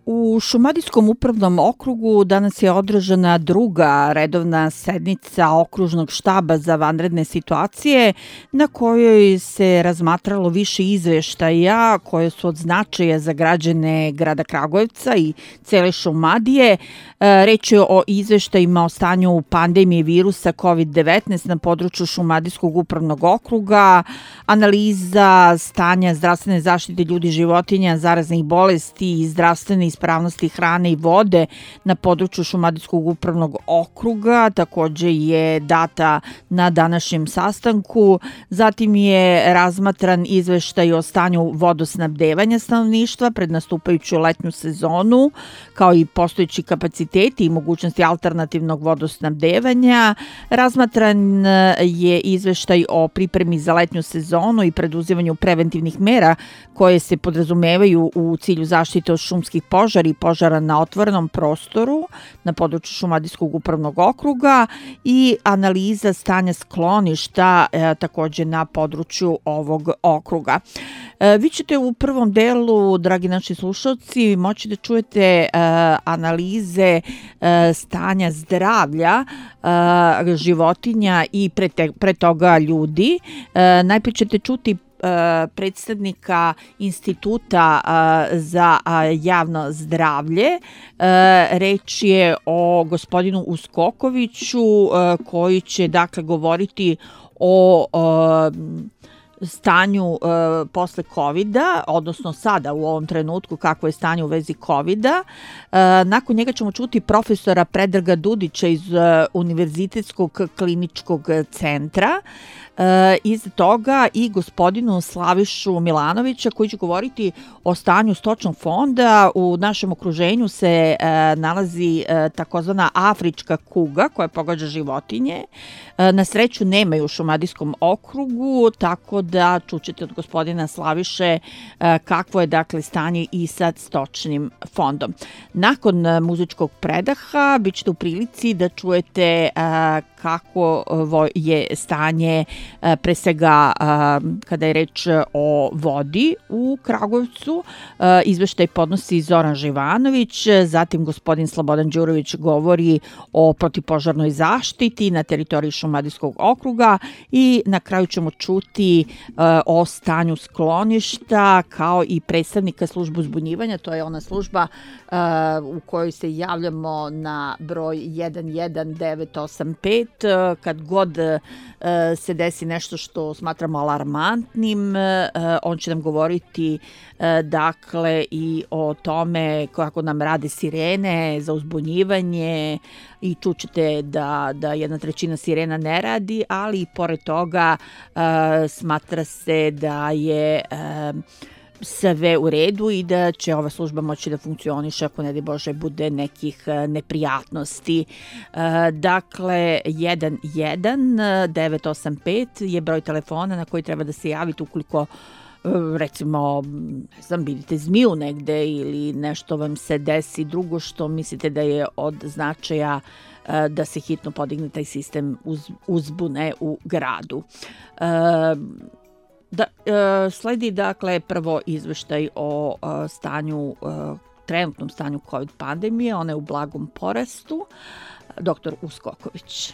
U Šumadijskom upravnom okrugu danas je održana druga redovna sednica okružnog štaba za vanredne situacije na kojoj se razmatralo više izveštaja koje su od značaja za građane grada Kragujevca i cele Šumadije. Reč je o izveštajima o stanju pandemije virusa COVID-19 na području Šumadijskog upravnog okruga, analiza stanja zdravstvene zaštite ljudi i životinja, zaraznih bolesti i zdravstvene ispravnosti hrane i vode na području Šumadijskog upravnog okruga, takođe je data na današnjem sastanku. Zatim je razmatran izveštaj o stanju vodosnabdevanja stanovništva pred nastupajuću letnju sezonu, kao i postojeći kapaciteti i mogućnosti alternativnog vodosnabdevanja. Razmatran je izveštaj o pripremi za letnju sezonu i preduzimanju preventivnih mera koje se podrazumevaju u cilju zaštite od šumskih požara i požara na otvorenom prostoru na području Šumadijskog upravnog okruga i analiza stanja skloništa takođe na području ovog okruga. Vi ćete u prvom delu, dragi naši slušalci, moći da čujete analize stanja zdravlja životinja i pre toga ljudi. Najprije ćete čuti predstavnika Instituta za javno zdravlje. Reč je o gospodinu Uskokoviću koji će dakle govoriti o stanju posle COVID-a, odnosno sada u ovom trenutku kakvo je stanje u vezi COVID-a. Nakon njega ćemo čuti profesora Predraga Dudića iz Univerzitetskog kliničkog centra. Iz toga i gospodinu Slavišu Milanovića koji će govoriti o stanju stočnog fonda. U našem okruženju se nalazi takozvana afrička kuga koja pogađa životinje. Na sreću nema je u Šumadijskom okrugu, tako da čućete od gospodina Slaviše kakvo je dakle stanje i sa stočnim fondom. Nakon muzičkog predaha bit ćete u prilici da čujete kako je stanje pre svega kada je reč o vodi u Kragujevcu. Izveštaj podnosi Zoran Živanović, zatim gospodin Slobodan Đurović govori o protivpožarnoj zaštiti na teritoriji Šumadijskog okruga i na kraju ćemo čuti o stanju skloništa kao i predstavnika službe uzbunjivanja. To je ona služba u kojoj se javljamo na broj 11985 kad god se desi nešto što smatramo alarmantnim. On će nam govoriti dakle i o tome kako nam rade sirene za uzbunjivanje i čućete da 1/3 sirena ne radi, ali i pored toga smatra se da je sve u redu i da će ova služba moći da funkcioniše ako ne daj Bože bude nekih neprijatnosti. Dakle, 11985 je broj telefona na koji treba da se javite ukoliko recimo, ne znam, vidite zmiju negde ili nešto vam se desi drugo što mislite da je od značaja da se hitno podigne taj sistem uzbune u gradu. Sledi dakle prvo izveštaj o trenutnom stanju COVID pandemije, ona je u blagom porastu. Doktor Uskoković.